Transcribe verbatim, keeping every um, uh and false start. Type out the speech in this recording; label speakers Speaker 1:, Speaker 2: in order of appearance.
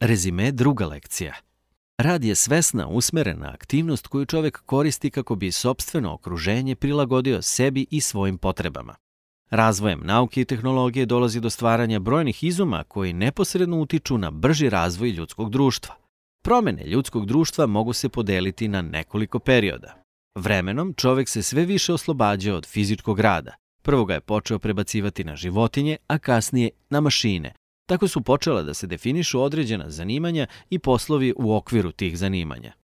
Speaker 1: Rezime druga lekcija. Rad je svesna, usmerena aktivnost koju čovek koristi kako bi sopstveno okruženje prilagodio sebi i svojim potrebama. Razvojem nauke i tehnologije dolazi do stvaranja brojnih izuma koji neposredno utiču na brži razvoj ljudskog društva. Promene ljudskog društva mogu se podeliti na nekoliko perioda. Vremenom čovek se sve više oslobađa od fizičkog rada. Prvo ga je počeo prebacivati na životinje, a kasnije na mašine. Tako su počela da se definišu određena zanimanja i poslovi u okviru tih zanimanja.